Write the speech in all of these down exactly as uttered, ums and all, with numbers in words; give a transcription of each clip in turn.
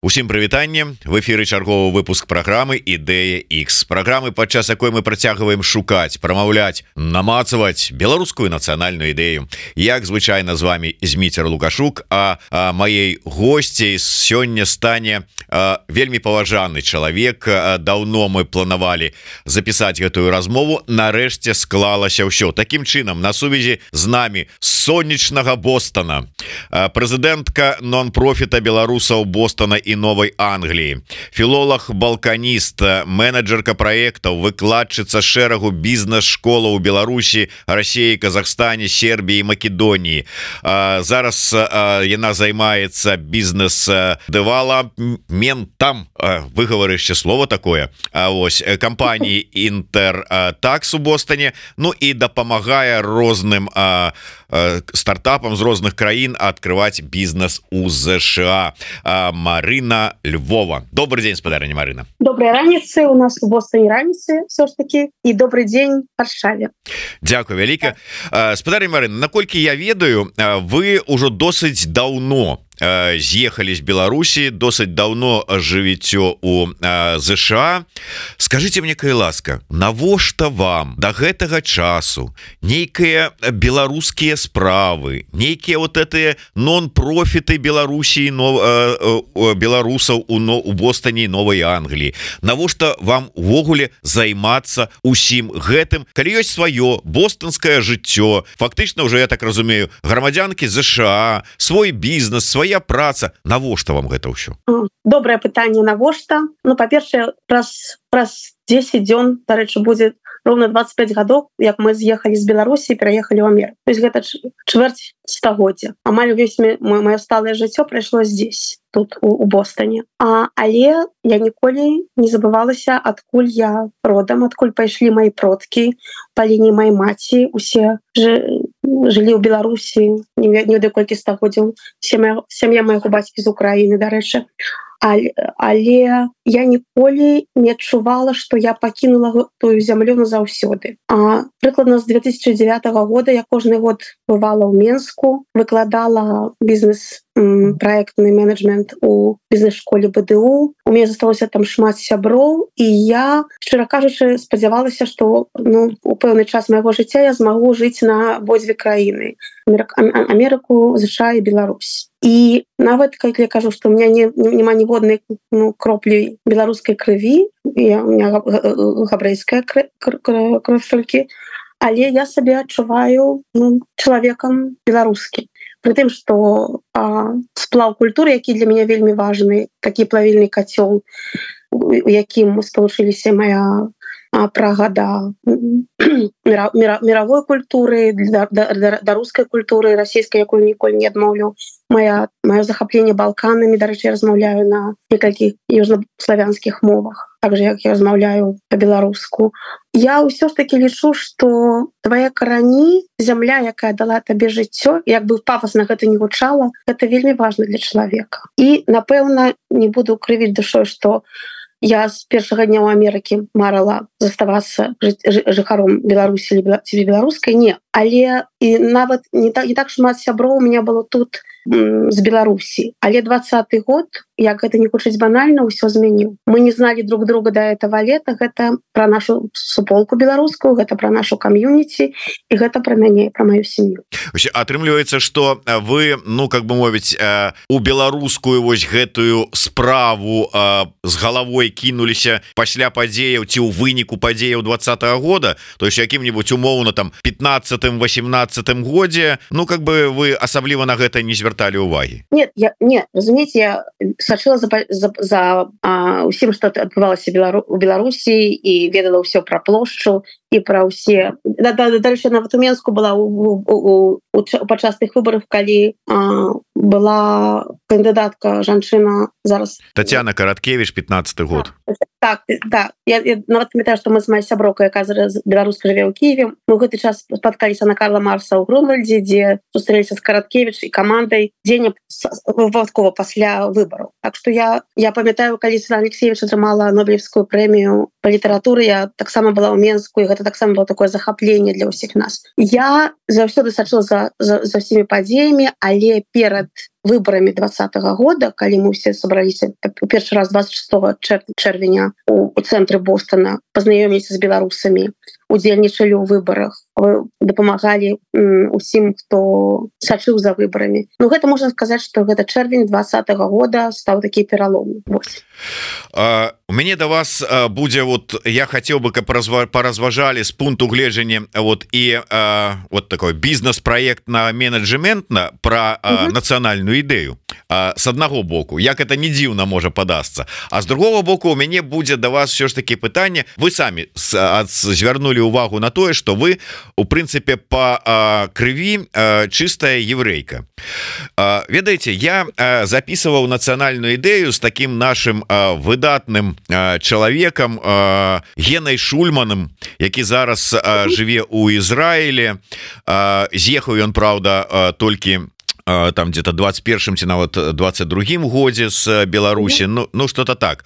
Усім прывітанне, в эфіры чарговы выпуск праграмы Ідэя X, праграмы, падчас якой мы працягваем шукаць, прамаўляць, намацаваць беларускую нацыянальную ідэю. Як звычайна з вами Зміцер Лукашук, а, а маей госцей сёння стане а, вельмі паважаны чалавек. А, даўно мы планавалі запісаць гэтую размову, нарэшце склалася ўсё. Такім чынам, на сувязі з намі сонечнага Бостона, а, прэзідэнтка нон-профіта беларусаў Бостона і Новой Англии, філолог, балканіст, менеджерка проектаў, выкладчыца шэрагу бізнес-школаў у Беларусі, России, Казахстане, Сербии, Македонии. А, зараз а, яна займаецца бізнес-дэвалапментам, выгаварышце слово такое, а, ось, кампаніі Интертакс у Бостоне, ну і дапамагае розным а, а, стартапам з розных краін открывать бізнес у США. А, Марина Львова. Добрый день, спадарыня Марына. Доброй раніцы, у нас у Бостоне раніцы все ж таки, и добрый день в Варшаве. Дякую вяліка. Спадарыня Марына, наколькі я ведаю, вы ўжо досыць даўно з'ехалі з Беларусі, досыць даўно жывіце у ЗША. Скажите мне, калі ласка, навошта вам до гэтага часу нейкія беларускія справы, нейкія вот этыя нон-профіты Беларусі, беларусаў у, у Бостоне і Новой Англіі? Навошта вам увогуле займацца усім гэтым, калі ёсць сваё бостонскае жыццё, фактычна уже, я так разумею, грамадзянкі ЗША, свой бізнес, свой праца, навошта вам гэта ўсё? Добрае пытанне, навошта? Ну, па-першае, праз, праз дзесяць дзён, дарэчы, будзе роўна двадцать пять гадоў, як мы з'ехалі з Беларусі і пераехалі ў Амерыку. То есть гэта чвэрць стагоддзя. Амаль увесь маё сталае жыццё прайшло здесь, тут у, у Бостоне. А, але я ніколі не забывалася, адкуль я родам, адкуль пайшлі мои продкі па лініі маёй маці. Усе ж жылі ў Беларусі, не ведаю колькі стагоддзяў. Сям'я, сям'я майго бацькі з Украіны, дарэчы. Але, але я ніколі не адчувала, што я пакінула тую зямлю назаўсёды. А прыкладна з две тысячи девятого года я кожны год бывала ў Менску, выкладала бізнес проектны менеджмент у бізнес-школе БДУ. У мяне засталося там шмат сяброў, і я, шчыра кажучы, спадзявалася, што ну, у пэўны час майго жыцця я змагу жыць на абодзве краіны: Амерыку, ЗША і Беларусь. І нават, калі я кажу, што у меня не, няма ніводнай ну, кроплі беларускай крыві, я, у меня габрэйская кровь толькі, але я сабе адчуваю ну, чалавекам беларускім. Пры тым, што а, сплаў культуры, які для мяне вельмі важны, такі плавільны кацёл, у якім спалучыліся моя а, прага да мира, мира, мировой культуры, да, да, да рускай культуры, расійскай, якую ніколі не адмоўлю. Моя, маё захапленне Балканамі, дарэчы, я размаўляю на некалькіх южнославянскіх мовах, так же, як я размаўляю па-беларуску. Я ўсё ж таки лічу, што твае карані, зямля, якая дала табе жыццё, як бы пафасна гэта не гучала, гэта вельмі важна для чалавека. І, напэўна, не буду крывіць душой, што я з першага дня ў Амерыкі марыла заставацца жыхаром Беларусі ці беларускай, не. Але і нават не так, не так шмат сяброў у меня было тут з Беларусі. Але двадцаты год, як гэта не гучыць банальна, ўсё змяніў. Мы не зналі друг друга да этого лета, гэта пра нашу суполку беларускую, гэта пра нашу кам'юніці, і гэта пра мяне, пра маю сям'ю. Атрымліваецца, што вы, ну, как бы мовіць, у беларускую вось гэтую справу з галавой кінуліся пасля падзеяў ці ў выніку падзеяў двадцатого года, то есть якім-нибудь умоўна там пятнадцатым-восемнадцатым годзе, ну, как бы вы асабліва на гэта не звярталі ўвагі? Нет, я, не, разумееце, я сачыла за, за, за а, усім, што адбывалася Белару, у Беларусі, і ведала ўсё пра плошчу і пра ўсе. Да, да, дальше нават у Менску была у, у, у, у падчас тых выбараў, калі а, была кандыдатка жанчына зараз. Татьяна Караткевич, пятнадцаты год. Так, да. Я, я нават памятаю, што мы з моей сяброкай, якая зараз беларуска жыве ў Киеве. Мы ў гэты час спаткаліся на Карла Марса ў Грунвальдзе, дзе сустрэліся з Караткевич і камандай дзень выпадкова пасля выбараў. Так што я, я памятаю, калі Святлана Алексеевич атрымала Нобелевскую прэмію по літаратуры я таксама была ў Менску, і гэта таксама было такое захапленне для ўсіх нас. Я заўсёды сачыла за, за, за ўсімі падзеямі, але перад выбарамі двадцатого года, калі мы все сабраліся у першы раз двадцать шестого чэрвеня у, у цэнтры Бостона, пазнаёміліся з беларусамі, удзельнічалі ў выбарах, дапамагалі усім, хто сачыў за выбарамі. Ну гэта можна сказаць, што гэта чэрвень двадцатого года стаў такі пералом. Uh, у мяне да вас uh, будзе вот я хацеў бы, каб паразважалі з пункту гледжання вот і uh, вот такой бізнес-праект на менеджментна пра uh, uh-huh. нацыянальную ідэю. Uh, с аднаго боку, як это не дзіўна можа падасца, а з другого боку у мяне будзе да вас все ж таки пытанне. Вы самі звярнулі увагу на тое, што вы у прынцыпе по uh, крыві uh, чыстая еврейка. Uh, ведаеце, я uh, записываў нацыянальную ідэю з таким нашим uh, выдатным uh, чалавекам uh, Генай Шульманым, які зараз uh, жыве ў Ізраілі. Uh, з'ехаў ён, праўда, uh, толькі там где-то двадцать первым ці нават двадцать другим годзе з Беларусі, ну, ну что-то так.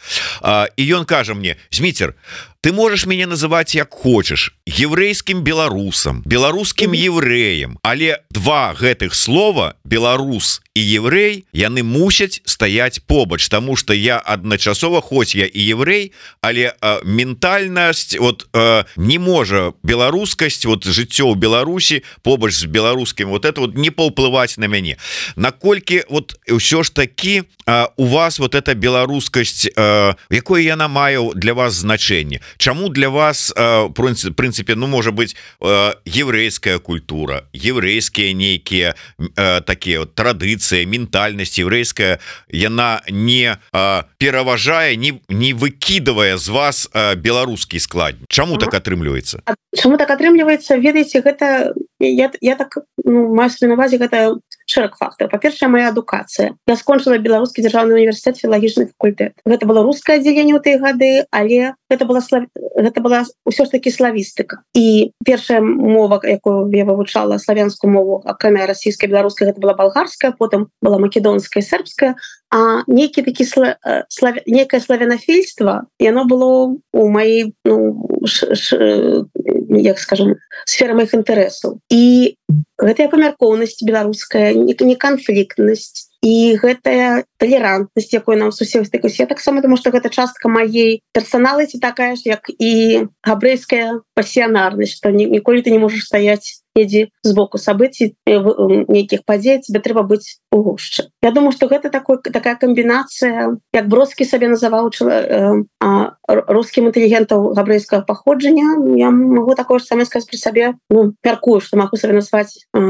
І ён кажа мне: Зміцер, ты можешь мяне называть як хочешь, еврейским беларусам, беларускім евреем, але два гэтых слова, беларус і еврей, яны мусяць стаяць побач, тому что я адначасова, хоць я і еврей, але э, ментальнасць вот э, не можа беларускасць, вот жыццё ў Беларусі побач з беларускім, вот это вот не паўплываць на мяне. Наколькі вот ўсё ж таки э, у вас вот эта беларускасць, э, якое яна мае для вас значэнне? Чаму для вас э, прынцыпе, ну можа быть э, еврейская культура, еврейскія нейкія э, такія вот традыцыі, ментальнасць еврейская, яна не э, пераважае, не, не выкідывае з вас э, беларускі склад? Чаму так атрымліваецца? Чаму так атрымліваецца? Ведаеце, гэта я, я так ну, маю на увазе, гэта шэраг фактараў. Па-першае, моя адукацыя. Я скончыла Беларускі дзяржаўны універсітэт, філалагічны факультэт. Гэта было рускае аддзяленне ў тыя гады, але гэта была слав... гэта была ўсё ж такі славістыка. І першая мова, якую я вывучала, славянскую мову, акрамя расійскай, беларускай, гэта была балгарская, потым была македонская, сербская, а нейкі такі сла... слав... некае славянафільства, яно было у маёй, ну, ш... Ш... як скажем, сфера маіх інтарэсаў. І гэтая памяркоўнасць беларуская, не канфліктнасць, і гэтая талерантнасць, якой нам сусед стыкаюсь. Я таксама думаю, што гэта частка маёй персаналіці такая ж, як і габрэйская пасіянарнасць, што ніколі ты не можаш стаяць недзе збоку сабыцій, нейкіх падзей, тебе трэба быць у гушчы. Я думаю, што гэта такой, такая камбінацыя, як Бродскі сабе называў э, э, рускім інтэлігентаў габрэйскага паходжання. Я магу такое ж самае сказаць пры сабе, ну, мяркую, што магу сабе назваць э,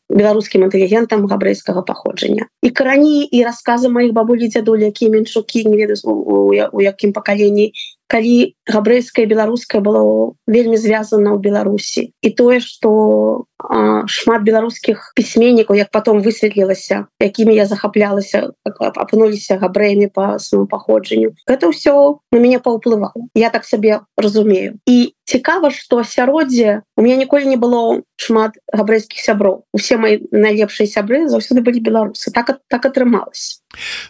беларускім інтэлігентам габрэйскага паходжання. І карані, і расказы маіх бабулі, дзядулі, якія меншукі, не ведаю, у, у, у якім пакаленні, калі габрэйскае і беларускае было вельмі звязана ў Беларусі. І тое, што а, шмат беларускіх пісьменнікаў, як потом высветлілася, якімі я захаплялася, апынуліся габрэямі па свайму паходжанню, гэта ўсё на мяне паўплывала. Я так сабе разумею. І цікава, што асяроддзе у мяне ніколі не было шмат габрэйскіх сяброў. Усе мои найлепшыя сябры заўсёды былі беларусы. Так, так атрымалася.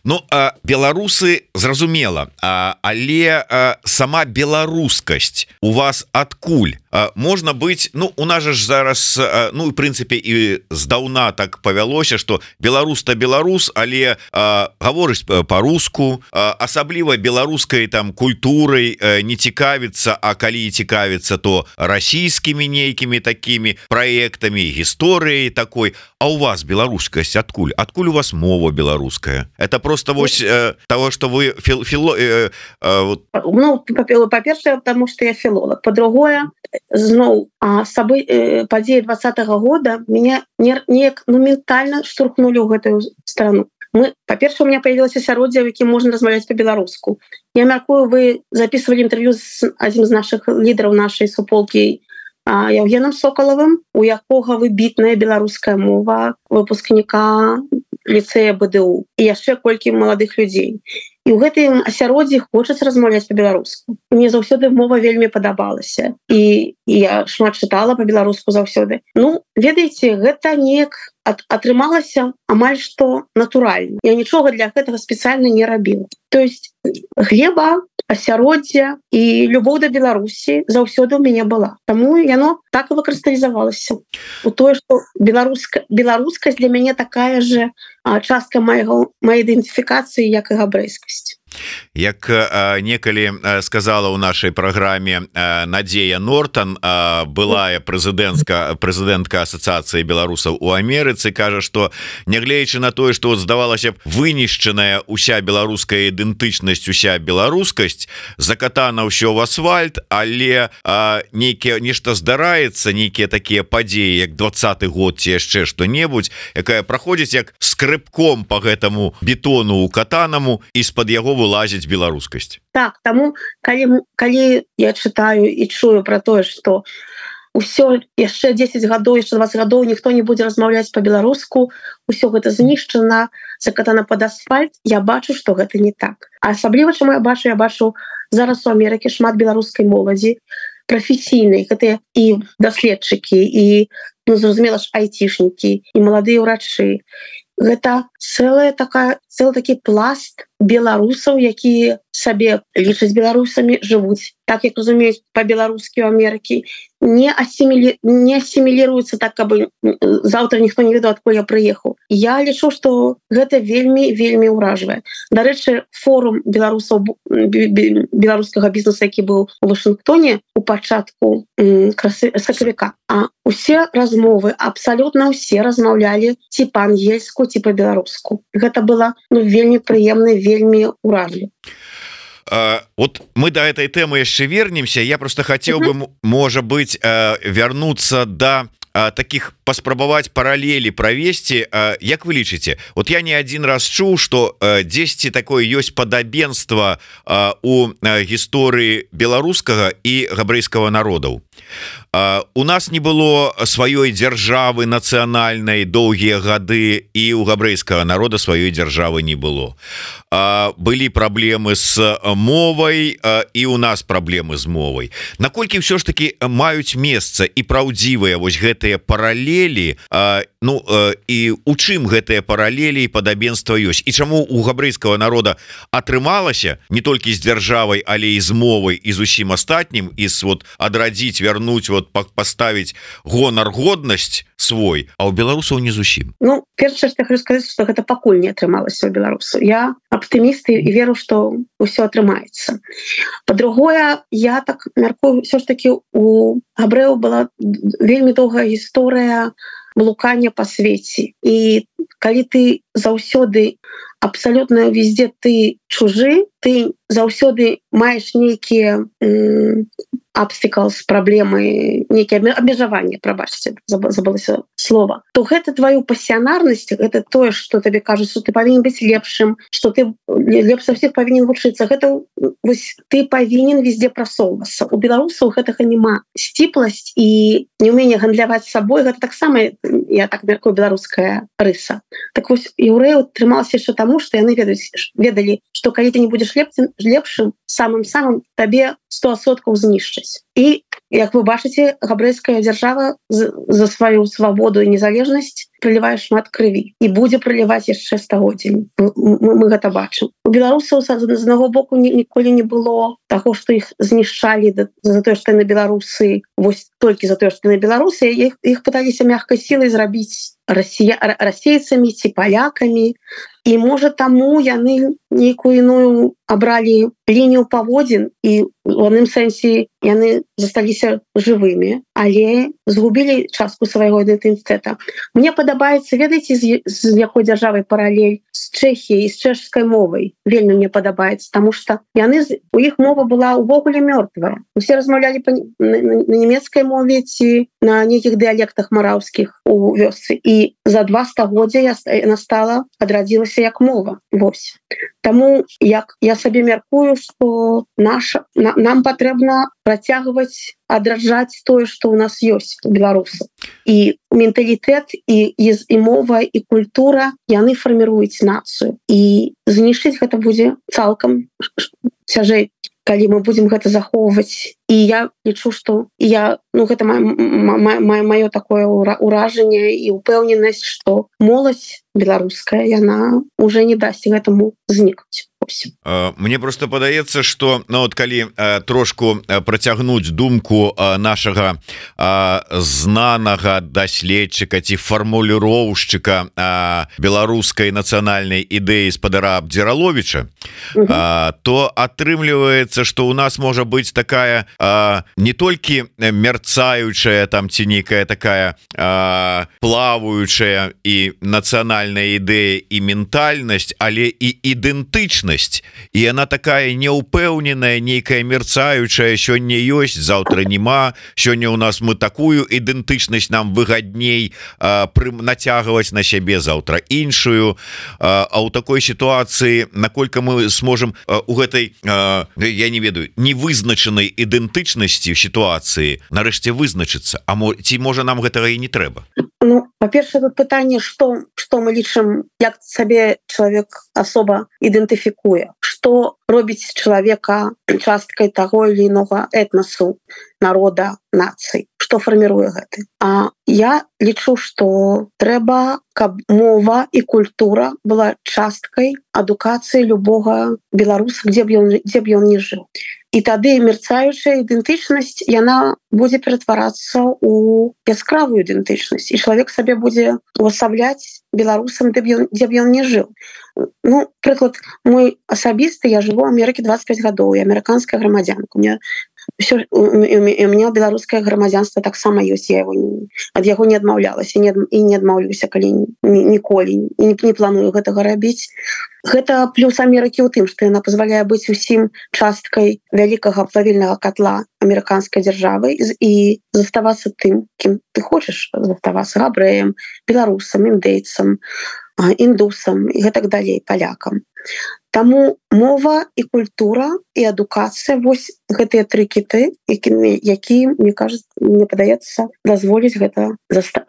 Ну, а, беларусы, зразумела, а, але а, сама беларускасць у вас адкуль? А, можна быць, ну, у нас ж зараз, а, ну, в прынцыпе, і здаўна так павялося, што беларус-то беларус, але а, гаворыць па-руску, а, асабліва беларускай там культурай а, не цікавіцца, а калі і цікавіцца, то расійскімі нейкімі такімі праектамі, гісторыяй такой. А у вас беларускасць адкуль? Адкуль у вас мова беларуская? Это просто вось э, того, что вы фил, фило, э, э, вот. Ну, по-першае, потому что я филолог. По-другое, зноў сабы э, падзеі двадцатого года меня неяк ну, ментальна штурхнули ў гэтую страну. Мы, по-першае, у меня появилось асяроддзе, у якім можна размаўляць по-беларуску. Я мяркую, вы записывали интервью з адзін з наших лідараў нашай суполкі Евгеном Соколовым, у якога выбітная беларуская мова, выпускніка ліцэя БДУ, і яшчэ колькі маладых людзей. І ў гэтым асяроддзі хочацца размаўляць па-беларуску. Мне заўсёды мова вельмі падабалася. І, і я шмат чытала па-беларуску заўсёды. Ну, ведаеце, гэта неяк ат, атрымалася амаль што натуральна. Я нічога для гэтага спецыяльна не рабіла. То есть глеба асяроддзе і любоў да Беларусі заўсёды ў мяне была. Таму яно так і выкрысталізавалася у тое, што беларуска беларускасць для мяне такая же частка майго моей ідэнтыфікацыі, як і габрэйскасць. Як а, некалі а, сказала ў нашай праграме а, Надзея Нортан, а, былая прэзідэнтка прэзідэнтка асацыяцыі беларусаў у Амерыцы, кажа, што нягледзячы на тое, што здавалася б вынішчаная уся беларуская ідэнтычнасць, уся беларускасць закатана ўсё в асфальт, але нейкія нешта здараецца, нейкія такія падзеі, як двадцаты год ці яшчэ што-небудзь, якая праходзіць як скрыбком по гэтаму бетону укатанаму, і з-пад яго вылазіць беларускасць. Так, таму калі, калі я чытаю і чую про тое, што ўсё яшчэ дзесяць гадоў, яшчэ двадцать гадоў ніхто не будзе размаўляць по-беларуску, усё гэта знішчана, закатана под асфальт, я бачу, што гэта не так. А асабліва, чаму я бачу, я бачу зараз у Амерыкі шмат беларускай моладзі, прафесійнай, гэтыя і даследчыкі, і, ну, зразумела ж, айцішнікі, і маладыя ўрачы. Гэта цэлая такая, цэлы такі пласт беларусаў, якія сабе лічаць беларусамі, жывуць так, як разумеюць па-беларускі ў Амерыкі, не асімілі... не асіміліруюцца так, каб заўтра ніхто не ведаў, адкуль я прыехаў. Я лічу, што гэта вельмі вельмі ўражвае. Дарэчы, форум беларусаў беларускага бізнеса, які быў у Вашынгтоне у пачатку сакавіка, а усе размовы, абсалютна ўсе размаўлялі ці па-ангельску, ці па-беларуску. Гэта было, ну, вельмі прыемна, вельмі ўражліва. Uh, вот мы до этой темы яшчэ вернемся. Я просто хотел uh-huh. бы, можа быть, uh, вернуться до uh, таких, паспрабаваць параллели провести. Uh, як вы лічыце? Вот я не один раз чуў, что uh, дзесьці такое ёсць падабенства uh, у uh, гісторыі беларускага і габрэйскага народаў. Uh, у нас не было сваёй дзяржавы нацыянальнай доўгія гады, і у габрэйскага народа сваёй дзяржавы не было. Uh, былі праблемы з мовай, uh, і у нас праблемы з мовай. Наколькі ўсё ж таки маюць месца і праўдзівыя вось гэтыя паралелі, uh, ну uh, і у чым гэтыя паралелі і падабенства ёсць, і чаму у габрэйскага народа атрымалася не толькі з дзяржавай, але і з мовай, і з усім астатнім, і з вот адрадзіць, вярнуць, вот поставить гонар, годнасць свой, а у беларусаў не зусім. Ну, першае, што я хочу сказаць, што гэта пакуль не атрымалася у беларусаў. Я аптыміст і веру, што ўсё атрымаецца. Па-другое, я так мяркую, ўсё ж такі у габрэяў была вельмі доўгая гісторыя блукання па свеце. І калі ты заўсёды абсалютна везде ты чужы, ты заўсёды маеш нейкія obstacles, праблемы, нейкія абмежаванні, прабачце, забылася слова, то гэта твою пасіянарнасць, гэта тое, што табе кажуць, што ты павінен быць лепшым, што ты лепш за ўсіх павінен вучыцца. Гэта вось ты павінен везде прасоўвацца. У беларусаў гэтага няма. Сціпласць і неўменне гандляваць сабой, гэта таксама, я так мяркую, беларуская рыса. Так вось яўрэяў атрымалася яшчэ таму, што яны ведаюць, ведалі, што калі ты не будзеш лепшым, самым-самым табе сто адсоткаў знішчаць. І, як вы бачыце, габрэйская дзяржава за сваю свабоду і незалежнасць прылівае шмат крыві і будзе прыліваць яшчэ стагоддзямі. Мы, мы гэта бачым. У беларусаў з аднаго боку ніколі не было таго, што іх знішчалі за тое, што яны беларусы, вось толькі за тое, што яны беларусы, іх, іх пыталіся мягкай сілай зрабіць расія, расейцамі ці палякамі. І, можа, таму яны нейкую іную абралі лінію паводзін, і у адным сэнсе яны засталіся жывымі, але згубілі частку свайго ідэнтытэта. Мне падабаецца, ведаеце, з, з якой дзяржавай паралель? З Чэхіяй, з чэшскай мовай. Вельмі мне падабаецца, таму што яны, у іх мова была ўвогуле мёртвая. Усе размаўлялі па, на, на нямецкай мове ці на нейкіх дыялектах мараўскіх у вёсцы. І за два стагоддзя яна стала, адрадзілася як мова. Вось. Таму як я сабе мяркую, што наша, на, нам патрэбна працягваць адраджаць тое, што ў нас ёсць у беларусаў. І менталітэт, і, і, і мова, і культура, яны фарміруюць нацыю. І знішчыць гэта будзе цалкам цяжэй. Калі мы будзем гэта захоўваць і я лічу что я ну гэта маё такое ўражанне і упэўненасць что моладзь беларуская яна уже не дасць гэтаму знікнуць. Мне просто падаецца что ну вот калі трошку працягнуць думку нашага знанага даследчыка ці фармуліроўшчыка беларускай нацыянальнай ідэі спадара Абдзіраловіча, то атрымліваецца что у нас можа быць такая не толькі мерцаючая там ці нейкая такая плаваючая і нацыянальная ідэя і ментальнасць, але і ідэнтычнасць, і она такая неупэўненая, нейкая мерцаючая, сёння ёсць, заўтра нема, сёння у нас мы такую ідэнтычнасць нам выгадней нацягваць на сябе, заўтра іншую. А ў такой сітуацыі наколькі мы сможам у гэтай я не ведаю невызначанай ідэнтычнасці сітуацыі нарэшце вызначыцца, а ці можа нам гэтага і не трэба? Ну, па-першае, тут пытанне, што, што мы лічым, як сабе чалавек асоба ідэнтыфікуе, што робіць чалавека часткай таго или інога этнасу, народа, нацыі, што фарміруе гэты. А я лічу, што трэба, каб мова і культура была часткай адукацыі любога беларуса, дзе б ён, дзе б ён не жыў. І тады мерцаючая ідэнтычнасць яна будзе ператварацца ў яскравую ідэнтычнасць, і чалавек сабе будзе увасабляць беларусам, дзе б ён, дзе б ён не жыў. Ну, прыклад, мой асабісты, я жыву ў Амерыкі двадцять пять гадоў, і амерыканская грамадзянка. У меня все, у меня беларускае грамадзянства таксама ёсць, я его ад яго не адмаўлялася і не адмаўлюся калі ніколі, і не, не планую гэтага рабіць. Гэта плюс Амерыкі ў тым, што яна пазваляе быць усім часткай вялікага плавільнага котла амерыканскай дзяржавы і заставацца тым, кім ты хочаш заставацца, габрэем, беларусам, індейцам, індусам і гэтак далей, палякам. Таму мова і культура і адукацыя, вось гэтыя тры кіты, які, які мне кажется, мне падаецца, дазволіць гэта заста...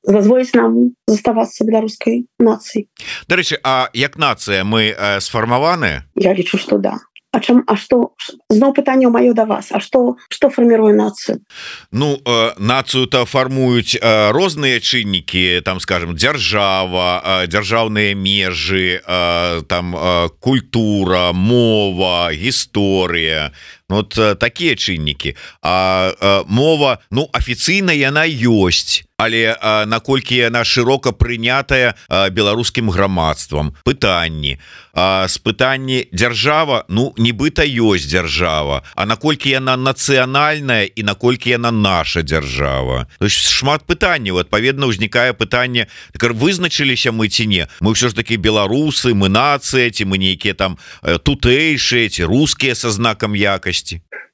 дазволіць нам заставацца беларускай нацыяй. Дарэчы, а як нацыя мы э, сфармаваныя? Я лічу, што да. А чым, а што зноў пытанне маё да вас, а што што фарміруе нацыю? Ну э, нацыю-то фармуюць э, розныя чыннікі, там скажем дзяржава, э, дзяржаўныя межы, э, там э, культура, мова, гісторыя. Вот э, такія чыннікі. А э, мова, ну афіцыйна яна ёсць, але э, наколькі яна шырока прынятая э, беларускім грамадствам. Пытанні э, з пытанні дзяржава, ну нібыта ёсць дзяржава, а наколькі яна нацыянальная і наколькі яна наша дзяржава. То есть шмат пытанняў, адпаведна ўзнікае пытанне, так вызначыліся мы ці не, мы ўсё ж такі беларусы, мы нацыя, ці мы нейкія там э, тутэйшыя, ці рускія са знакам якасці.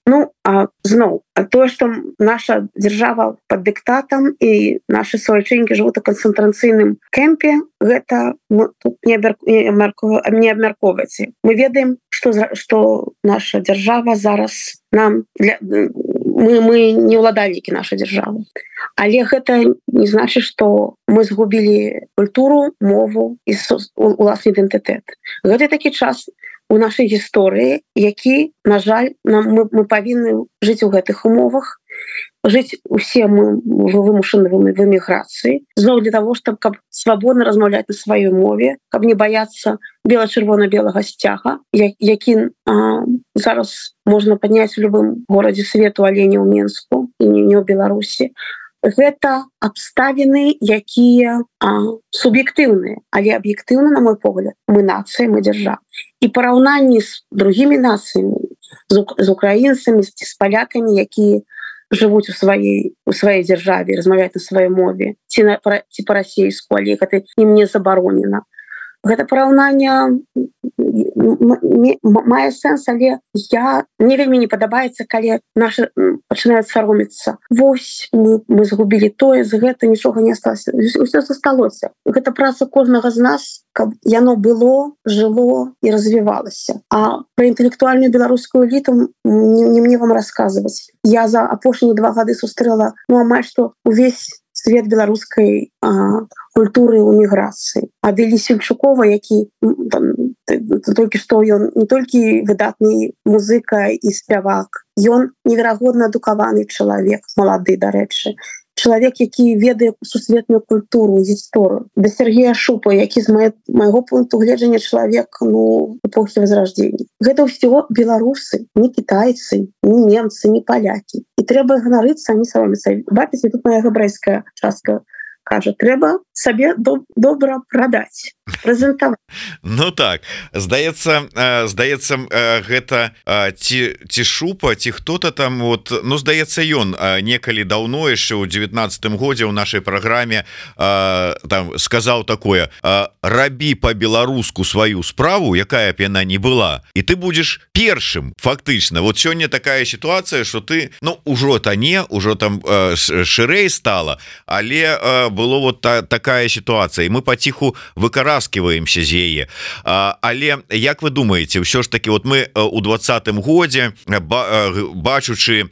Ну, а зноў, а тое, што наша дзяржава пад дыктатам і нашы суайчыннікі жывуць у канцэнтрацыйным кэмпе, гэта тут не абмяркоўваецца. Мы ведаем, што, што наша дзяржава зараз нам для, мы, мы не ўладальнікі нашай дзяржавы. Але гэта не значыць, што мы згубілі культуру, мову і уласны ідэнтытэт. Гэта такі час у нашай гісторыі, які, на жаль, нам, мы, мы павінны жыць у гэтых умовах, жыць усе мы вымушаны в эміграцыі, зноў для того, чтобы каб свабодна размаўляць на сваёй мове, каб не баяцца бела-чырвона-белага сцяга, які а, зараз можна падняць у любым горадзе свету, але не ў Менску і не, не ў Беларусі. Гэта абставіны, якія суб'ектыўныя, але аб'ектыўна, на мой погляд, мы нацыя, мы дзяржава. І параўнанні з другімі нацыямі, з, з украінцамі, з палякамі, якія жывуць у сваёй у сваёй дзяржаве, размаўляюць на сваёй мове, ці, на, ці па-расейску, але гэта ім не забаронена. Гэта параўнанне мае сэнс, але я мне вельмі не падабаецца, калі нашы пачынаюць саромецца. Вось мы, мы згубілі тое, з гэта нічога не асталося. Усё засталося. Гэта праца кожнага з нас, каб яно было, жыло і развівалася. А пра інтэлектуальную беларускую эліту не, не мне вам расказваць. Я за апошнія два гады сустрэла, ну амаль што увесь свет беларускай культуры ў міграцыі. Аделі Сельчукова, які там, толькі што ён не толькі выдатны музыка і спявак, ён неверагодна адукаваны чалавек, малады, дарэчы. Чалавек, які ведае сусветную культуру, гісторыю. Да Сергея Шупа, які з мае, майго пункту гледжання чалавек, ну, эпохі Возрождения. Гэта ўсё беларусы, не кітайцы, не немцы, не палякі. І трэба ганарыцца, а не саромецца. Бачыце, тут моя габрэйская частка кажа, трэба сабе доб добра прадаць, прэзентаваць. Ну так, здаецца, здаецца, гэта ці, ці Шупа, ці хто-то там, вот, ну, здаецца, ён некалі даўно яшчэ ў дзевятнаццатым годзе ў нашай праграме там сказаў такое: рабі па-беларуску сваю справу, якая б яна не была, і ты будзеш першым, фактычна. Вот сёння такая сітуацыя, што ты, ну, ужо то не, ужо там шырэй стала, але было вот та, такая ситуация, и мы потиху выкараскиваемся з яе. Але як вы думаете, ўсё ж таки, вот мы у двадцатым годзе, бачучы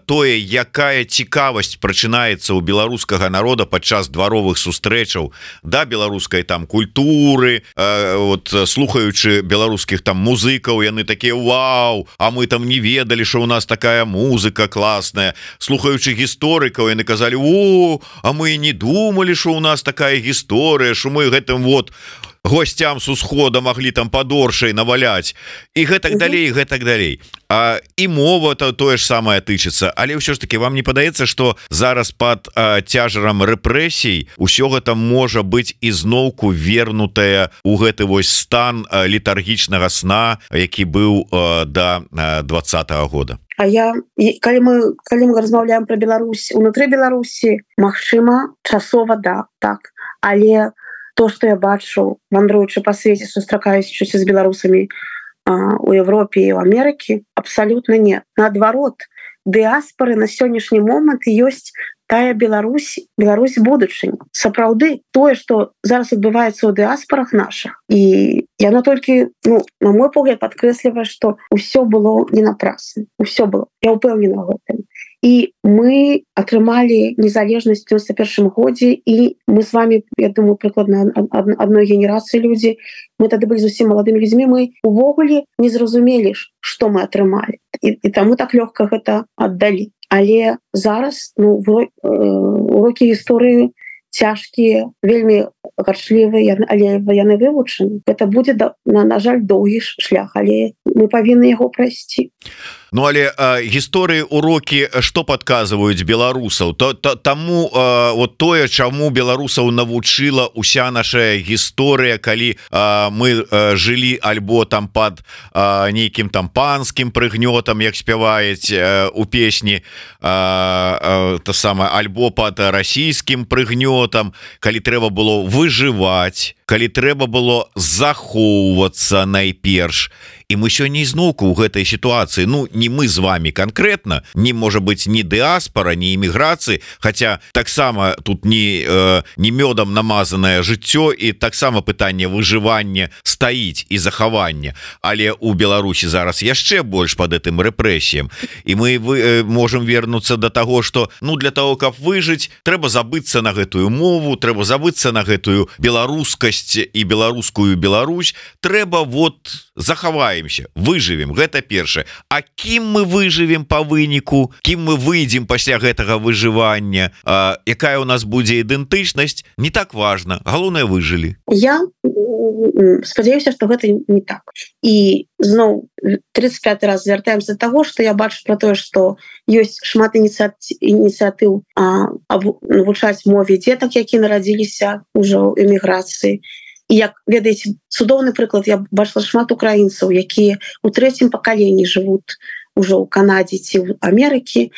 тое, якая цікавасць прачынаецца у беларускага народа падчас дваровых сустрэчаў да беларускай там культуры, вот слухаючы беларускіх там музыкаў, яны такія: вау, а мы там не ведалі, что у нас такая музыка классная. Слухаючы гісторыкаў, яны казалі: о, а мы не думали, что у нас такая гісторыя, что мы гэтым вот гостям с усхода могли там падоршай наваляць, і гэтак далей, гэтак далей. А, і мова то тое ж самае тычыцца. Але ўсё ж таки, вам не падаецца, что зараз пад а, цяжарам рэпрэсій усё гэта можа быць ізноўку вернутае у гэты вось стан а, летаргічнага сна, які быў а, да двадцатага года? А я, калі мы, калі мы размаўляем пра Беларусь унутры Беларусі, магчыма, часова да, так, але то, што я бачу, вандруючы па свеце, сустракаючыся з беларусамі а, у Европе і ў Амерыкі, абсалютна не. Наадварот, дыаспары на сённяшні момант ёсць тая Беларусь, Беларусь будучыні. Сапраўды, тое, што зараз адбываецца ў дыаспарах нашых, і яно толькі, ну, на мой погляд, падкрэслівае, што ўсё было не напрасна. Усё было. Я ўпэўнена ў гэтым. І мы атрымалі незалежнасць у девяносто первом годзе, і мы з вами, я думаю, прыкладна адной генерацыі людзі, мы тады былі зусім маладымі людзьмі, мы увогуле не зразумелі, што мы атрымалі. І, і таму так лёгка гэта аддалі. Але зараз, ну, урокі гісторыі цяжкія, вельмі гарчлівыя, але яны вывучаны. Гэта будзе, на, на жаль, доўгі шлях, але мы павінны яго прайсці. Ну, але э, гісторыі урокі што падказваюць беларусаў, то, то таму э, вот тое, чаму беларусаў навучыла уся наша гісторыя, калі э, мы э, жылі альбо там пад э, нейкім там панскім прыгнётам, як спяваюць э, у песні, э, э, то самае, альбо пад расійскім прыгнётам, калі трэба было выжываць, калі трэба было захоўвацца найперш. І мы сёння ізноўку ў гэтай сітуацыі, ну, не мы з вами конкретно, не можа быць ні дыаспара, ні эміграцыі, хаця таксама тут не, э, не мёдам намазанае жыццё, і таксама пытанне выжывання стаіць і захавання. Але у Беларусі зараз яшчэ больш пад гэтым рэпрэсіям. І мы вы, э, можам вернуцца да таго, што, ну, для того, каб выжыць, трэба забыцца на гэтую мову, трэба забыцца на гэтую беларускасць і беларускую Беларусь, трэба вот захаваемся, выжывем, гэта першае. А кім мы выжывем па выніку, кім мы выйдзем пасля гэтага выжывання, а, якая у нас будзе ідэнтычнасць, не так важна, галоўнае, выжылі. Я спадзяюся, што гэта не так. І зноў тридцать пятый раз звяртаемся да таго, што я бачу пра тое, што ёсць шмат ініцыятыў навучаць мове дзетак, які нарадзіліся ўжо ў эміграцыі. І як ведаеце, цудоўны прыклад, я бачыла шмат украінцаў, якія ў трэцім пакаленні жывуць ужо ў Канадзе ці ў Амерыкі,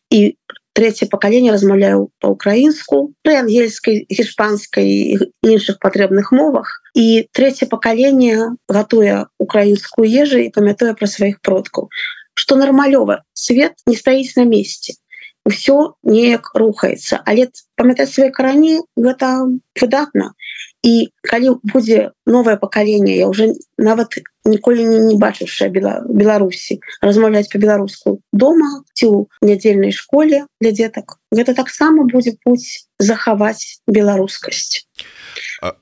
і трэцяе пакаленне размаўляю па-украінску, пры ангельскай, іспанскай і іншых патрэбных мовах. І трэцяе пакаленне гатуе украінскую ежу і памятае пра сваіх продкаў. Што нармалёва, свет не стаіць на месцы. Усё неяк рухаецца, але памятаць свае карані гэта выдатна. І калі будзе новае пакаленне, я уже нават ніколі не, не бачыўшая Беларусі размаўляць па-беларуску дома ці ў нядзельнай школе для дзетак, гэта таксама будзе путь захаваць беларускасць.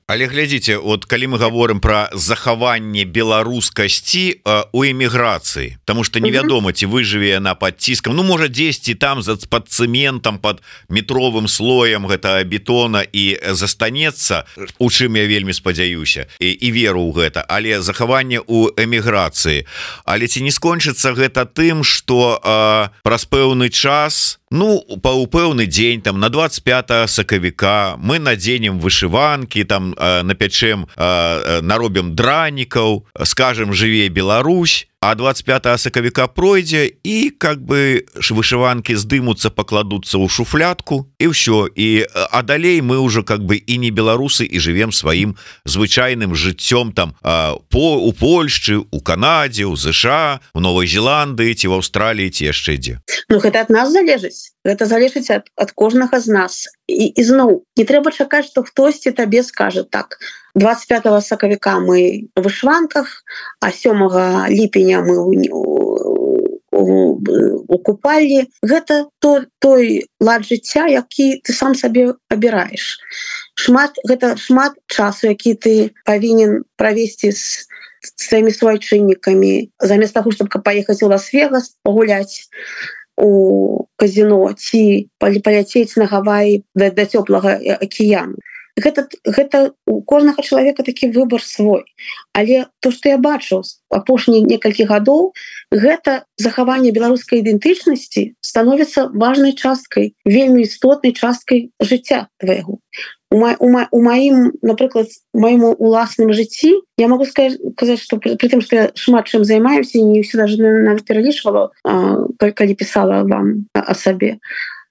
Але глядзіце, от калі мы говорим про захаванне беларускасці у эміграцыі, потому что невядома, ці выжыве яна под ціскам, ну можа дзесьці там за под цэментам, под метровым слоем гэта бетона і застанецца, у чым я вельмі спадзяюся і, і веру ў гэта, але захаванне у эміграцыі. Але ці не скончыцца гэта тым, што праз пэўны час, ну па ў пэўны дзень там на двадцать пятое сакавіка мы надзенем вышыванкі, там э, напячэм, э, наробім дранікаў, скажем, жыве Беларусь, а двадцать пятое сакавіка пройдзе і как бы вышыванкі здымуцца, пакладуцца ў шуфлятку і ўсё, і а далей мы уже как бы і не беларусы і жывем сваім звычайным жыццём там э, по у Польшчы, у Канадзе, у ЗША, у Новой Зеландыі ці в Аўстраліі ці яшчэ дзе. Ну гэта ад нас залежыць, гэта залежыць ад, ад кожнага з нас. І, і зноў не трэба чакаць, што хтосьці табе скажа так: двадцать пятого сакавіка мы в вышванках, а сёмага ліпеня мы у, у, у купальні. Гэта то, той лад жыцця, які ты сам сабе абіраеш. Шмат, гэта шмат часу, які ты павінен правесці з сваімі суайчыннікамі, замест таго, чтобы паехаць у Лас-Вегас, пагуляць у казино ці паляцець на Гаваі да, да цёплага акіяну. Гэта, гэта у кожнага чалавека такі выбор свой. Але то, што я бачу апошнія некалькі гадоў, гэта захаванне беларускай ідэнтычнасці становіцца важнай часткай, вельмі істотнай часткай жыцця твайго. У, ма, у, ма, у маім, напрыклад, маім уласным жыцці я могу сказаць, што пры, пры тым, што я шмат чым займаюся, не ўсё даже нават пералічвала, калі пісала вам о сабе.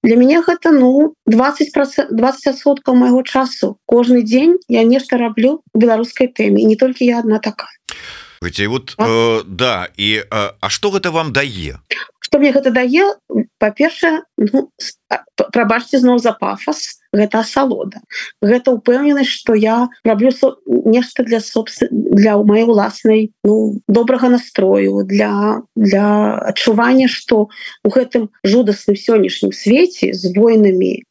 Для мяне гэта ну двадцать адсоткаў майго часу. Кожны дзень я нешта раблю у беларускай тэме, і не толькі я адна такая. Вот, э, да, і э, а што гэта вам дае? Што мне гэта дае? Па-першае, ну, прабачце зноў за пафас, гэта асалода. Гэта ўпэўненасць, што я раблю со... нешта для собствен... для маёй уласнай ну, добрага настрою, для, для адчування, што у гэтым жудасным сённяшнім свеце з войнамі,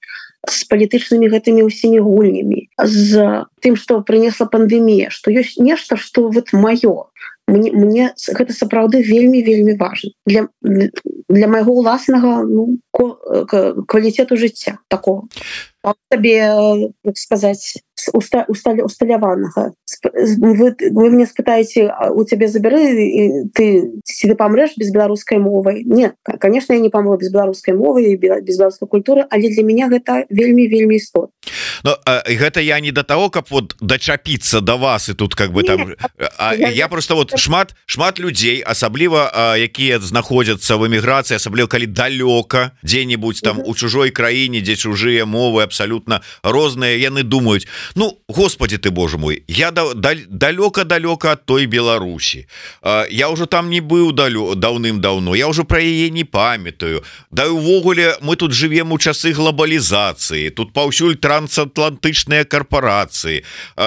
з палітычнымі гэтымі ўсімі гульнямі, з тым, што прынесла пандэмія, што ёсць нешта, што вот маё. Мне, мне гэта сапраўды вельмі-вельмі важна для, для майго ўласнага ну, квалітету жыцця такого. Табе, як сказаць, усталяванага. Вы, вы мне спытаеце, у цябе забяры, ты, ці ты памрэш без беларускай мовы? Нет, конечно, я не памру без беларускай мовы і без беларускай культуры, але для мяне гэта вельмі-вельмі істотна. Но э, гэта я не до того, каб вот дачапіцца до вас і тут как бы там а, я, я просто вот шмат шмат людзей, асабліва якія знаходзяцца в эміграцыі, асабліва калі далёка дзе-нибудь там у чужой краіне, дзе чужыя мовы абсолютно розныя, яны думаюць: ну господи ты боже мой, я да, да, далёка-далёка от той Беларусі, я уже там не быў даўным-даўно, я уже про яе не памятаю, да увогуле мы тут живем у часы глобалізацыі, тут паўсюль трансатлантычныя карпорацыі,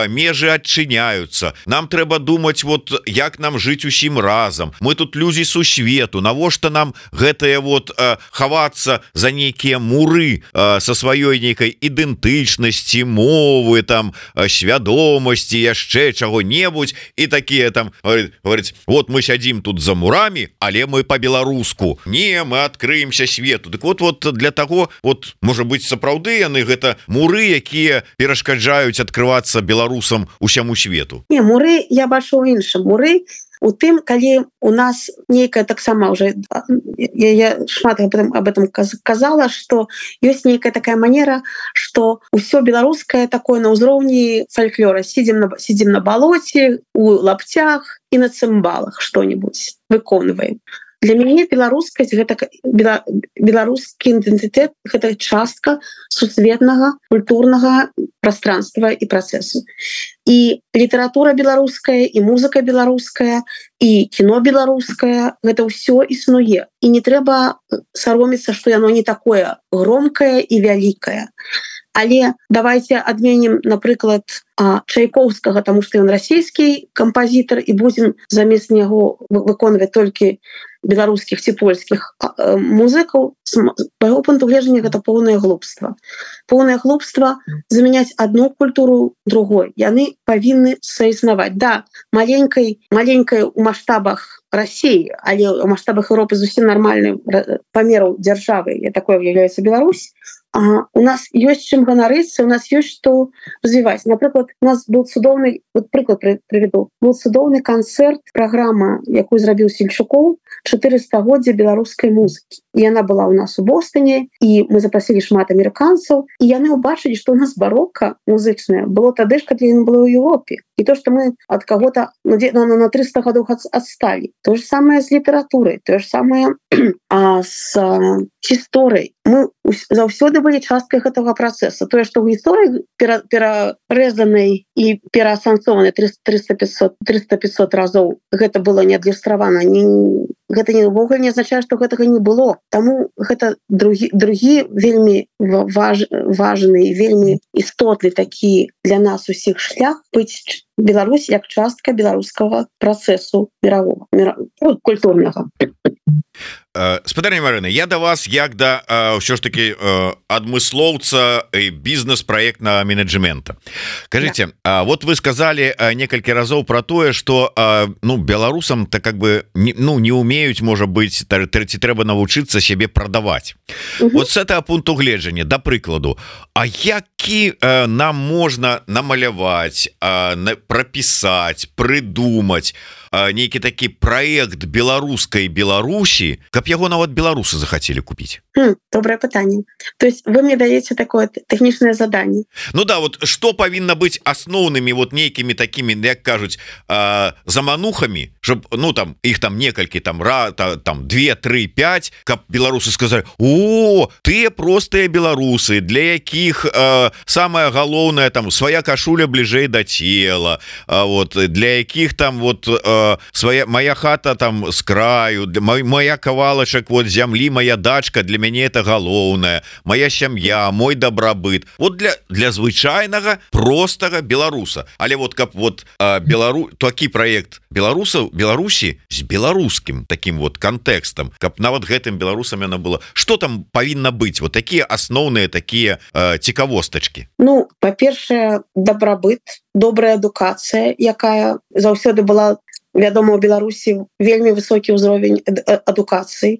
межы адчыняюцца, нам трэба думаць вот як нам жыць усім разам, мы тут людзі сусвету, навошта нам гэтыя вот хавацца за нейкія муры со сваёй нейкай ідэнтычнасці, мовы, там свядомасці, яшчэ чаго-небудзь, і такія там говораць: вот мы сядзім тут за мурамі, але мы по-беларуску, не, мы адкрыемся свету. Так вот, вот для того, вот можа быць сапраўды яны гэта муры, якія перашкаджаюць адкрывацца беларусам усяму свету. Не, муры я бачу ў іншым. Муры у тым, калі у нас нейкая таксама уже я, я шмат об этом, об этом казала, что ёсць нейкая такая манера, что ўсё беларускае такое на ўзроўні фальклора, сидим на, сидим на балоце, у лаптях і на цымбалах что-нибудь выконваем. Для мяне беларускасць гэта беларускі ідэнтытэт, гэта частка сусветнага культурнага пространства і працэсу. І літаратура беларуская, і музыка беларуская, і кіно беларускае, гэта ўсё існуе. І не трэба саромецца, што яно не такое громкае і вялікае. Але давайте адменім, напрыклад, Чайковскага, таму што ён расійскі кампазітар, і будзем замест яго выконваць толькі беларускіх ці польскіх музыкаў з майго пункту гледжання гэта поўнае глупства поўнае глупства замяняць одну культуру другой яны павінны саіснаваць да маленькай маленькай у маштабах России але у маштабах Европы зусім нармальным памераў дзяржавы я такое является Беларусь А, у нас ёсць чым ганарыцца, у нас ёсць што развіваць. Напрыклад, у нас быў цудоўны, вот прыклад прывяду, быў цудоўны канцэрт, праграма, якую зрабіў Сельчукоў, чатырыстагоддзя беларускай музыкі. І яна была ў нас у Бостоне, і мы запрасілі шмат амерыканцаў, і яны ўбачылі, што ў нас барока музычная было тады ж, калі яна была ў Европе. І то, што мы ад каго-то ну, на трыста гадоў адсталі. То же самае з літаратурай, то же самае а, з гісторыяй. Мы заўсёды былі часткай гэтага працэса. Тое, што ў гісторыі пера, перарэзанай і пераасэнсаванай трыста пятьсот разоў гэта было не адлюстравана. Не, гэта не ўвогуле не азначае, што гэтага не было. Таму гэта другі, другі вельмі важ, важны і вельмі істотны такі для нас усіх шлях быць Беларусь як частка беларускага працэсу мирового, мирового культурнага. Спадарня Марына, я да вас як да ўсё ж таки адмыслоўца бізнес-праектнага менеджмента. Кажите, да. Вот вы сказали некалькі разоў про тое, что ну беларусам то как бы ну не умеюць, можа быть, ці трэба навучыцца сябе прадаваць. Угу. Вот с этого пункту гледжання, да прыкладу, а які нам можна намаляваць, прапісаць, прыдумаць нейкі такі проект беларускай Беларусі, каб яго нават беларусы захацелі купіць? Хм, добрае пытанне. То есть вы мне даеце такое тэхнічнае заданне. Ну да, вот што павінна быць асноўнымі вот нейкімі такімі, як кажуць, э, заманухамі, щоб ну там іх там некалькі там ра, та, там две, тры, пять, каб беларусы сказалі: "О, тыя простыя беларусы, для якіх э, самае галоўнае там свая кашуля бліжэй да цела, э, вот для якіх там вот э, свая моя хата там с краю, для моя кавалачак вот зямлі, моя дачка, для мяне это галоўнае, моя сям'я, мой дабрабыт". Вот для для звычайнага простага беларуса. Але вот каб вот белару такі проект беларусаў Беларусі з беларускім таким вот кантэкстам, каб нават гэтым беларусам яна была, что там павінна быць, вот такія асноўныя такія э, цікавостачкі? Ну, па-першае, дабрабыт, добрая адукацыя, якая заўсёды была вядома, у Беларусі вельмі высокі ўзровень адукацыі,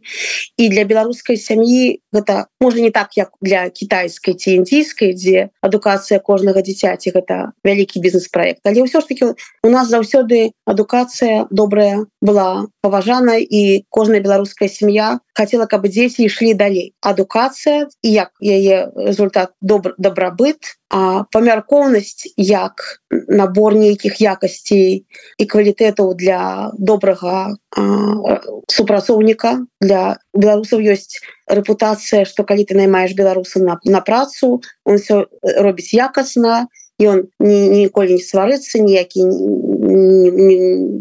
і для беларускай сям'і гэта можа не так як для кітайскай ці індійскай, дзе адукацыя кожнага дзіцяці гэта вялікі бізнес-праект, але ўсё ж таки у нас заўсёды адукацыя добрая была паважана, і кожная беларуская сям'я хацела, каб дзеці ішлі далей. Адукацыя і як яе результат добр, дабрабыт, а памяркоўнасць як набор нейкіх якасцей і квалітэтаў для добрага а, супрацоўніка. Для беларусаў ёсць рэпутацыя, што калі ты наймаеш беларуса на, на працу, он все робіць якасна, і он ні, ніколі не сварыцца, ніякі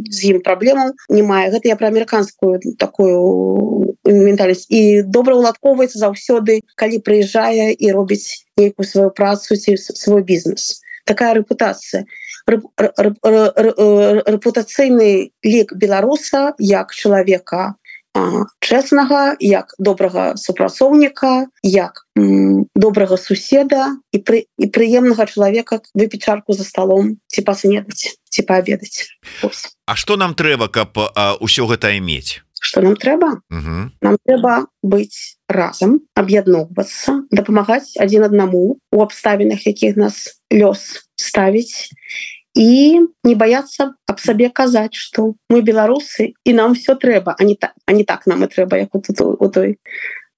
з ім праблемаў не мае. Гэта я пра амерыканскую такую ментальнасць. І добра ўладкоўваецца заўсёды, калі прыязджае і робіць нейкую сваю працу ці свой бізнес. Такая рэпутацыя. Рэпутацыйны лік беларуса як чалавека чэснага, як добрага супрацоўніка, як м, добрага суседа і, пры, і прыемнага чалавека выпіць чарку за сталом ці паснедаць, ці паабедаць. А што нам трэба, каб а, ўсё гэта мець? Што нам трэба? Угу. Нам трэба быць разам, аб'ядноўвацца, дапамагаць адзін аднаму у абставінах, якіх нас лёс ставіць, і не баяцца аб сабе казаць, што мы беларусы і нам все трэба, а не так, а не так нам і трэба, як у, у той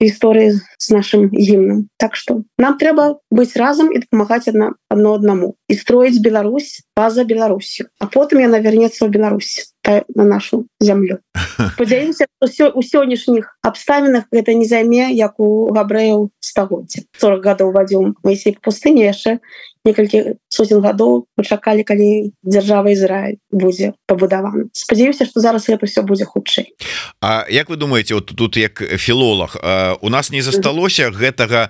гісторыі з нашым гімнам. Так што нам трэба быць разам і дапамагаць адна, адно аднаму і строіць Беларусь па-за Беларусю, а потым яна вернецца ў Беларусь на нашу зямлю. Спадзяюся, што у сённяшніх абставінах гэта не займе, як у габрэяў стагоддзя. сорок гадоў вадзіў Маісей па пустыні, яшчэ некалькі сотен гадоў мы чакалі, калі дзяржава Ізраіль будзе пабудавана. Спадзяюся, што зараз гэта ўсё будзе хутчэй. А як вы думаете, вот тут як філолог, у нас не засталося гэтага,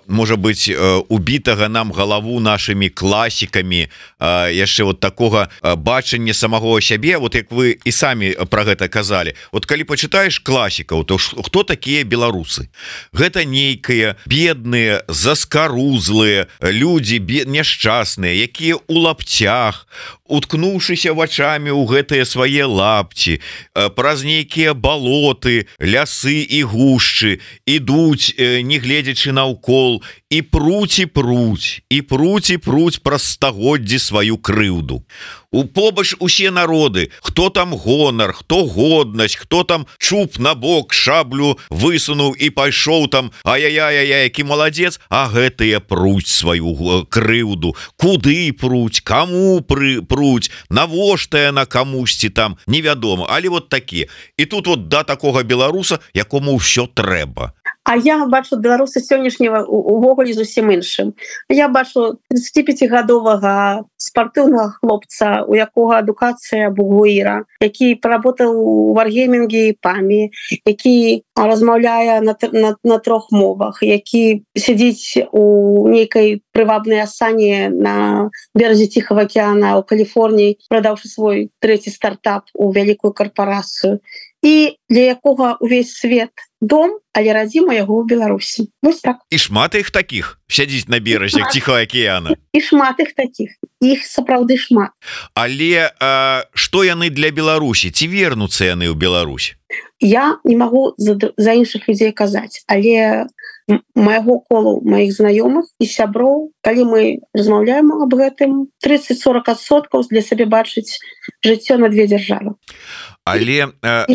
можа быть, убітага нам галаву нашими класікамі, яшчэ вот такого бачання самого сябе, вот як вы і самі про гэта казалі. Вот калі почитаешь класікаў, то хто такія беларусы? Гэта нейкія бедныя, заскарузлыя людзі, няшчасныя, якія у лапцях, уткнуўшыся вачамі ў гэтыя свае лапці, праз нейкія балоты, лясы і гушчы ідуць, не гледзячы наўкол, і пруць і пруць, і пруць і пруць праз стагоддзі сваю крыўду. У побач усе народы, хто там гонар, хто годнасць, хто там чуб на бок, шаблю высунуў і пайшоў там, ай-яй-яй-яй, які маладзец, а гэтыя пруць сваю крыўду. Куды пруць, каму пры, пруць, навошта яна камусьці там, невядома. Але вот такі. І тут вот да такога беларуса, якому ўсё трэба. А я бачу беларуса сённяшняга увогуле зусім іншым. Я бачу тридцатипятигадовага спартыўнага хлопца, у якога адукацыя бугуіра, які паработаў у варгеймінге і памі, які размаўляе на, на, на трох мовах, які сядзіць у нейкай прывабнай асане на беразе Ціхага акеана ў Каліфорніі, прадаўшы свой трэці стартап у вялікую карпарацыю. І для якога увесь свет дом, але радзіма яго ў Беларусі. Вось так. І шмат іх такіх сядзіць на беразе Ціхага акеана. І шмат іх такіх. Іх сапраўды шмат. Але а, што яны для Беларусі? Ці вернуцца яны ў Беларусь? Я не магу за, за іншых людзей казаць, але майго колу маіх знаёмых і сяброў, калі мы размаўляем аб гэтым, тридцать-сорок адсоткаў для сабе бачыць жыццё на две дзяржавы. Але э,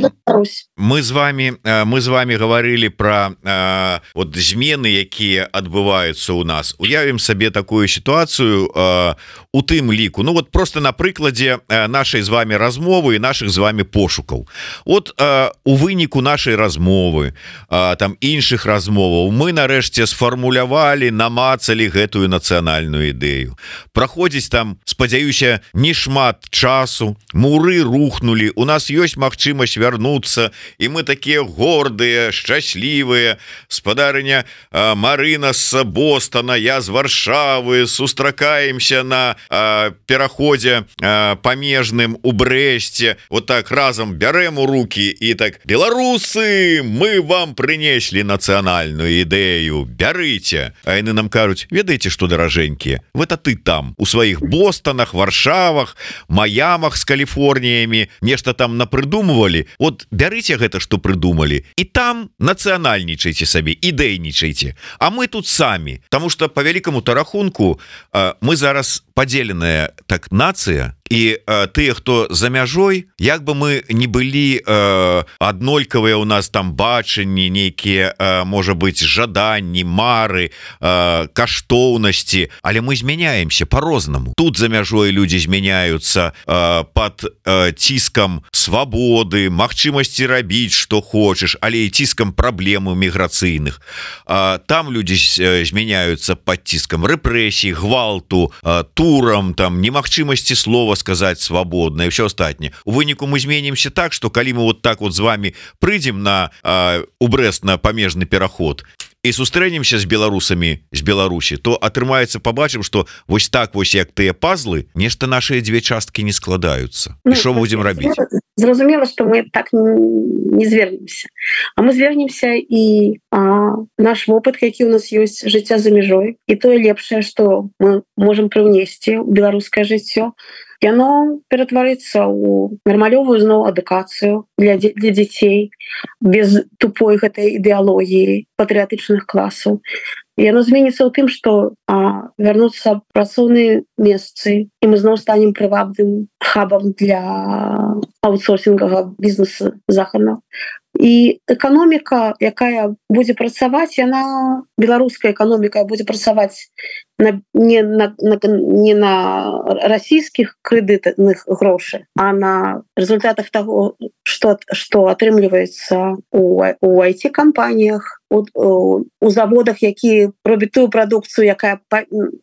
мы з вами мы з вами говорили про э, вот змены, якія адбываюцца у нас. Уявім сабе такую сітуацыю э, у тым ліку. Ну вот просто на прыкладзе нашай з вами размовы і наших з вами пошукаў. Вот э, у выніку нашай размовы, э, там іншых размоваў, мы нарэшце сфармулявалі, намацалі гэтую нацыянальную ідэю. Праходзіць там, спадзяюся, не шмат часу, муры рухнули, у нас ёсць магчымасць вярнуцца, і мы такія гордыя, шчаслівыя. Спадарыня э, Марына з Бостона, я з Варшавы, сустракаемся на э, пераходзе э, памежным у Брэсце, вот так разам бярем у руки і так: беларусы, мы вам прынеслі нацыянальную ідэю, бярыце. А яны нам кажуць: ведаеце што, даражэнькія, гэта ты там у сваіх Бостонах, Варшавах, Маямах з Каліфорніямі нешта там напрыдумывалі, вот бярыце гэта, што прыдумалі, і там нацыянальнічайце сабе, ідэйнічайце, а мы тут самі. Таму што по вялікаму-то рахунку мы зараз падзеленая так нацыя, і э, тыя, хто за мяжой, як бы мы не былі э, аднолькавыя у нас там бачанні, нейкія, э, можа быть, жаданні, мары, э, каштоўнасці, але мы змяняемся по-рознаму. Тут за мяжой людзі змяняюцца э, под э, ціскам свабоды, магчымасці рабіць што хочаш, але і ціскам праблемаў міграцыйных. Э, там людзі змяняюцца под ціскам рэпрэсій, гвалту, э, турам, там немагчымасці слова сказать свободно и все остальное. У выніку мы зменимся так, что калі мы вот так вот с вами прыйдем на э, у Брест на памежны пераход и сустрэнемся с беларусамі з Беларусі, то атрымаецца, побачым, что вось так вось як тыя пазлы, нешта наши две часткі не складаюцца. Ну, і што будем рабіць? Зразумела, что мы так не звернемся, а мы звернемся і а, наш вопыт, які у нас ёсць, жыцця за мяжой, і тое лепшае, что мы можем прыўнесці ў беларускае жыццё, яно ператварыцца ў нармалёвую зноў адукацыю для, для дзяцей без тупой гэтай ідэалогіі патрыятычных класаў. Яно зменіцца ў тым, што а, вярнуцца працоўныя месцы, і мы зноў станем прывабным хабам для аутсорсінгага бізнесу захаднага. і эканоміка, якая будзе працаваць, яна беларуская эканоміка будзе працаваць на, не, на, на, не на расійскіх крэдытных грошай, а на результатах того, што, што атрымліваецца у, у ай ти-кампаніях, у, у, у заводах, які робяць тую прадукцыю, якая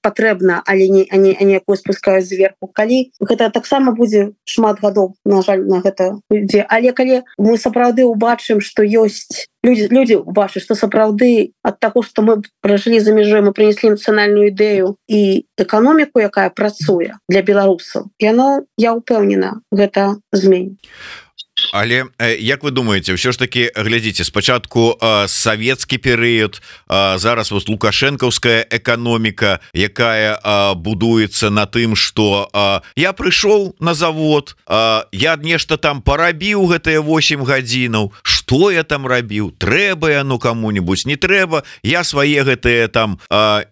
патрэбна, але не, а не, а не якую спускаюць зверху. Калі гэта таксама будзе шмат гадоў, на жаль, на гэта ідзе. Але калі мы сапраўды ўбачым, што ёсць люди, люди убачаць, што сапраўды ад таго, што мы пражылі за мяжой, мы прынеслі нацыянальную ідэю і эканоміку, якая працуе для беларусаў, яно, я ўпэўнена, гэта зменіць. Але як вы думаете, ўсё ж таки глядзіце, спачатку савецкі перыяд, зараз вот лукашэнкаўская эканоміка, якая будуецца на тым, што я прыйшоў на завод, я нешта там парабіў гэтыя восемь гадзінаў, што я там рабіў, трэба яно каму-нибудь, не трэба, я свае гэтыя там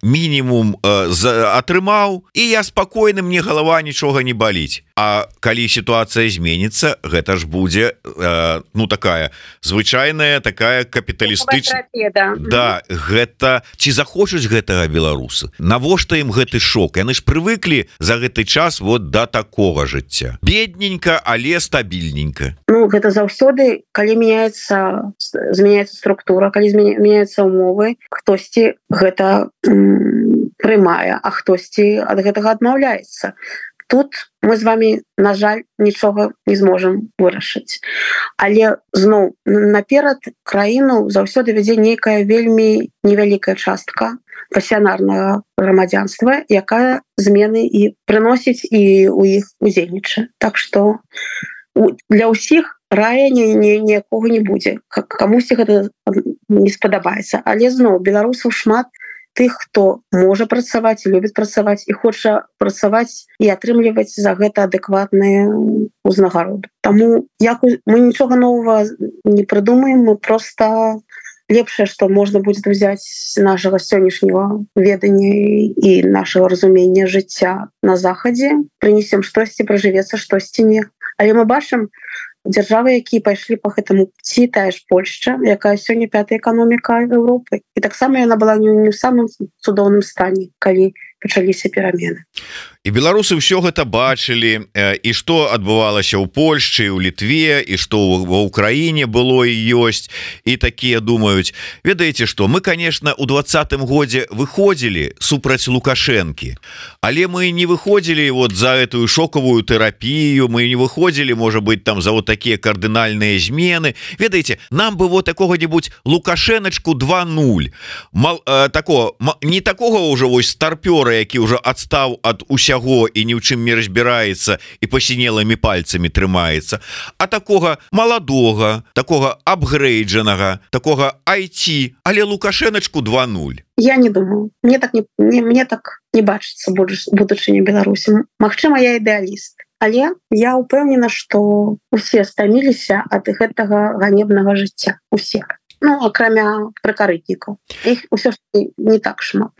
мінімум атрымаў, і я спакойны, мне галава нічога не баліць. А калі сітуацыя зменіцца, гэта ж будзе э, ну такая звычайная такая капіталістычная, да. Да, гэта ці захочуць гэтага беларусы, навошта ім гэты шок? Яны ж прывыклі за гэты час вот да такога жыцця, бедненька, але стабільненька. Ну гэта заўсёды, калі мяняецца змяняецца структура, калі змяняюцца умовы, хтосьці гэта м, прымае, а хтосьці ад гэтага адмаўляецца. Тут мы з вами, на жаль, нічога не зможам вырашыць. Але зноў наперад краіну заўсёды вядзе нейкая вельмі невялікая частка пасіянарнага грамадзянства, якая змены і прыносіць і у іх удзельнічае. Так што для ўсіх рая ніякога не будзе. Камусьці гэта не спадабаецца. Але зноў беларусаў шмат тых, хто можа працаваць, любіць працаваць і хоча працаваць і атрымліваць за гэта адэкватныя ўзнагароды. Таму як мы нічога новага не прыдумаем, мы проста лепшае, што можна будзе ўзяць з нашага сённяшняга ведання і нашага разумення жыцця на захадзе, прынесем штосьці, пражывецца штосьці не. Але мы бачым, дзяржавы, якія пайшлі по гэтаму пці, тая ж Польшча, якая сёння пятая эканоміка Еўропы. І таксама яна была не ў самым цудоўным стане, калі пачаліся перамены. І беларусы ўсё гэта бачылі, і што адбывалася ў Польшчы, у Літве, і што ва ўкраіне было і ёсць, і такія думаюць. Ведаеце што, мы, конечно, у двадцатым годзе выходзілі супраць Лукашэнкі, але мы не выходзілі вот за этую шокавую тэрапію, мы не выходзілі, можа быть, там за вот такія кардынальныя змены. Ведаеце, нам бы вот такога-нибудь Лукашэначку два нуль. Мал, э, такого, не такога ўжо вось старпёра, які ўжо адстаў ад усяго і ні ў чым не разбіраецца і пасінелымі пальцамі трымаецца, а такога маладога, такога апгрейджанага, такога ай ти, але Лукашэначку два нуль. Я не думаю, мне так не, не, мне так не бачыцца будучыня Беларусі. Магчыма, я ідэаліст, але я ўпэўнена, што усе стаміліся ад гэтага ганебнага жыцця, усе. Ну, акрамя пракарытнікаў. Іх усё ж не так шмат.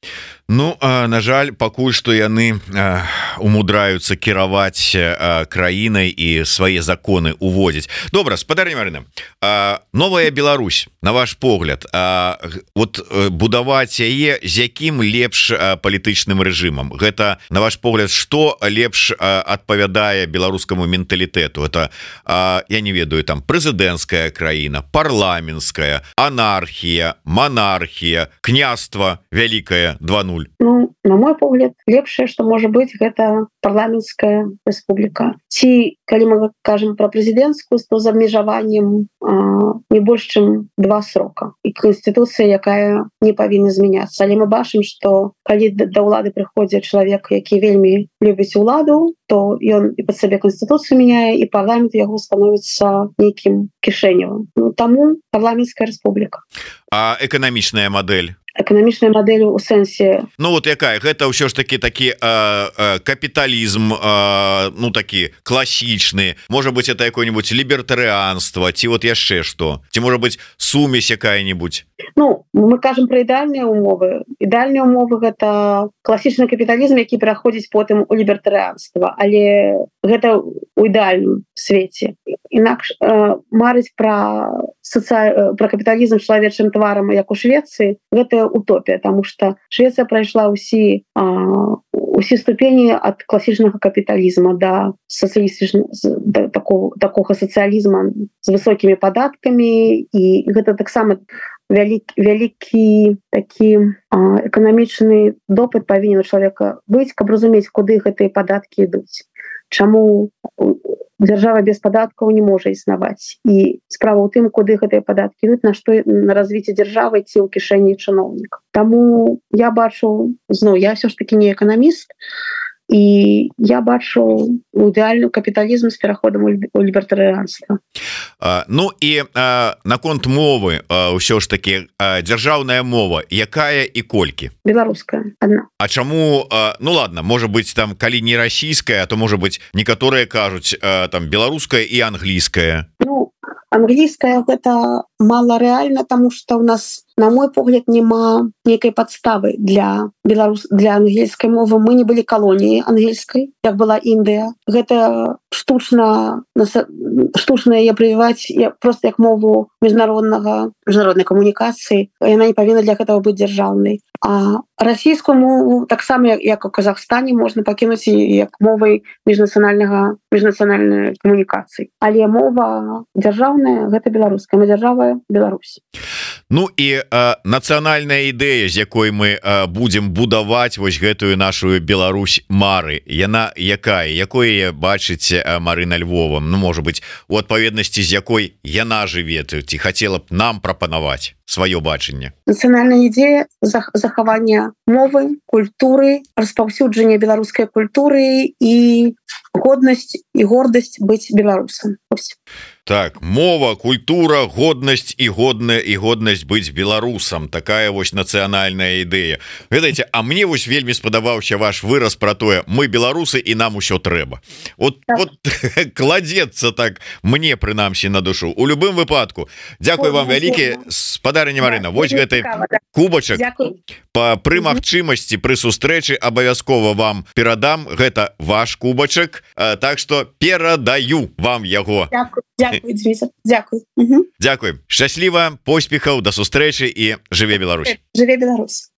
Ну, а, на жаль, пакуль што яны а, умудраюцца кіраваць а, краінай і свае законы уводзіць. Добра, спадарня Марына, а, новая Беларусь, на ваш погляд, а, вот будаваць яе з якім лепш а, палітычным рэжымам? Гэта, на ваш погляд, што лепш а, адпавядае беларускаму менталітэту? Это, а, я не ведаю, там прэзідэнцкая краіна, парламенцкая, анархія, монархія, княства вялікае два нуль. Ну, на мой погляд, лепшае, што можа быць, гэта парламенцкая рэспубліка. Ці, калі мы кажам пра прэзідэнцкую, то з абмежаваннем а, не больш чым два срока. І канстытуцыя, якая не павінна змяняцца. Але мы бачым, што калі да ўлады прыходзіць чалавек, які вельмі любіць уладу, то ён і пад сабе канстытуцыю мяняе, і парламент яго становіцца нейкім кішэневым. Ну, таму парламенцкая рэспубліка. А эканамічная мадэль? Эканамічная мадэль у сэнсе... Ну вот якая? Гэта ўсё ж таки такі э, э, капіталізм, э, ну такі класічны. Можа быть, это какое-нибудь лібертарыанства, ці вот яшчэ што? Ці можа быть сумесь якая-нибудь? Ну, мы кажам пра ідэальныя умовы. Ідэальныя умовы — гэта класічны капіталізм, які пераходзіць потым у лібертарыанства. Але гэта ў ідэальным свеце. Інакш э, марыць пра соци... про капіталізм чалавечым тварам як у Швецыі гэта утопія, тому что Швецыя прайшла ўсі усе ступені ад класічнага капіталізма да сацыялістычнага да такого такога сацыялізма з высокімі падаткамі, і гэта таксама вялікі вялікі такі эканамічны допыт павінен у чалавека быць, каб разумець, куды гэтыя падаткі ідуць, чаму дзяржава без падаткаў не можа існаваць, і справа ў тым, куды гэтыя падаткі ідуць, на што на развіццё дзяржавы ці ў кішэні чыноўнікаў. Таму я бачу, зноў я ўсё ж такі не эканаміст, і я бачу ідэальны капіталізм з пераходам у лібертарыянства. Ну і наконт мовы ўсё ж таки дзяржаўная мова якая і колькі? Беларуская адна. А чаму, ну ладно, можа быць там калі не расійская, то можа быць некаторыя кажуць там беларуская і англійская? Ну англійская гэта мала рэальна, таму што ў нас, на мой погляд, няма нейкай падставы для беларус для ангельскай мовы. Мы не былі калоніяй ангельскай, як была Індыя. Гэта штучна штучна яе прывіваць просто як мову міжнароднага міжнароднай камунікацыі. Яна не павінна для гэтага быць дзяржаўнай. А расійскую мову таксама як у Казахстане можна пакінуць як мовай міжнацыянальнага міжнацыянальнай камунікацыі. Але мова дзяржаўная гэта беларуская, мы дзяржава Беларусь. Ну і нацыянальная ідэя, з якой мы будзем будаваць вось гэтую нашу Беларусь мары, яна якая, якое бачыце Марына Львова, ну можа быць у адпаведнасці з якой яна жыве, ці хацела б нам прапанаваць сваё бачанне? Нацыянальная ідэя захавання мовы, культуры, распаўсюджання беларускай культуры і годнасць і гордасць быць беларусам. Так, мова, культура, годнасць і годная і годнасць быць беларусам, такая вось нацыянальная ідэя. Ведаеце, а мне вось вельмі спадабаўся ваш выраз про тое, мы беларусы і нам усё трэба. Вот, так. Вот кладецца так мне прынамсі на душу. У любым выпадку дзякую вам вялікі, спадарня Марына, вось гэты кубачак па пры магчымасці пры сустрэчы абавязкова вам перадам, гэта ваш кубачак, так што перадаю вам яго. Дякую, дякую. Угу. Дякую. Шчасліва, поспехаў, да сустрэчы і жыве Беларусь. Жыве Беларусь.